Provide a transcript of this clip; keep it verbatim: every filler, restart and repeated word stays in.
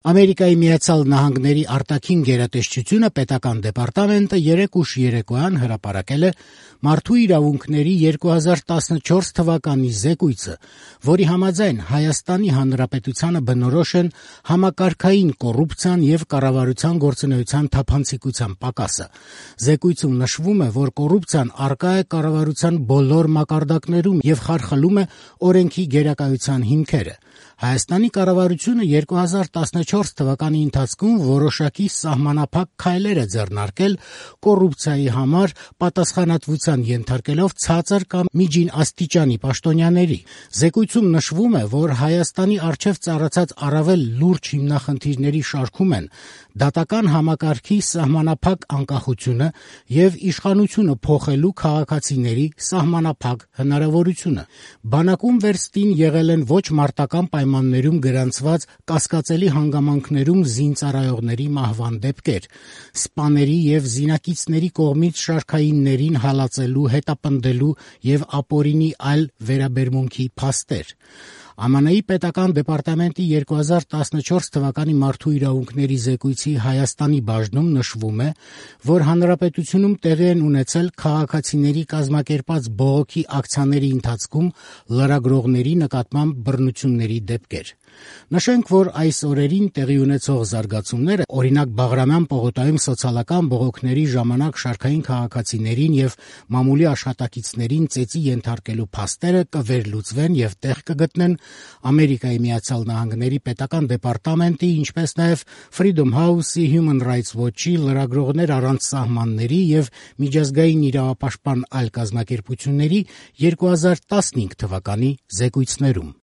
Ամերիկայի Միացյալ Նահանգների արտաքին գերատեսչությունը պետական դեպարտամենտը երեկ ուշ երեկոյան հրապարակել է մարդու իրավունքների երկու հազար տասնչորս թվականի զեկույցը, որի համաձայն Հայաստանի Հանրապետությանը բնորոշ են համակարգային կոռուպցիան եւ կառավարության գործունեության թափանցիկության պակասը։ Զեկույցում նշվում է, որ կոռուպցիան առկա է կառավարության բոլոր մակարդակներում եւ խարխլում է օրենքի գերակայության հիմքերը։ Հայաստանի կառավարությունը երկու հազար տասնչորս թվականի ընթացքում որոշակի սահմանափակ քայլեր է ձեռնարկել կոռուպցիայի համար պատասխանատվության ենթարկելով ցածր կամ միջին աստիճանի պաշտոնյաների։ Զեկույցում նշվում է, որ Հայաստանի առջև ծառացած առավել լուրջ հիմնախնդիրների շարքում են դատական համակարգի սահմանափակ անկախությունը եւ իշխանությունը փոխելու քաղաքացիների սահմանափակ հնարավորությունը։ Բանակում վերստին եղել են ոչ մարտական պայմաններում գրանցված կասկածելի հանգամանքներում զինծառայողների մահվան դեպքեր, սպաների եւ զինակիցների կողմից շարքայիններին հալածելու, հետապնդելու եւ ապօրինի այլ վերաբերմունքի փաստեր։ ԱՄՆ-ի պետական դեպարտամենտի երկու հազար տասնչորս թվականի մարդու իրավունքների զեկույցի Հայաստանի բաժնում նշվում է, որ հանրապետությունում տեղի են ունեցել քաղաքացիների կազմակերպած բողոքի ակցիաների ընթացքում լրագրողների նկատմամբ բռնությունների դեպքեր։ Նշենք, որ այս օրերին տեղի ունեցող զարգացումները, օրինակ Բաղրամյան պողոտայում սոցիալական բողոքների ժամանակ շարքային քաղաքացիներին եւ մամուլի աշխատակիցներին ծեծի ենթարկելու փաստերը կվերլուծվեն եւ տեղ կգտնեն Ամերիկայի Միացյալ Նահանգների պետական դեպարտամենտի, ինչպես նաեւ Freedom House-ի, Human Rights Watch-ի, Լրագրողներ առանց սահմանների եւ միջազգային իրավապաշտպան այլ կազմակերպությունների երկու հազար տասնհինգ թվականի զեկույցներում։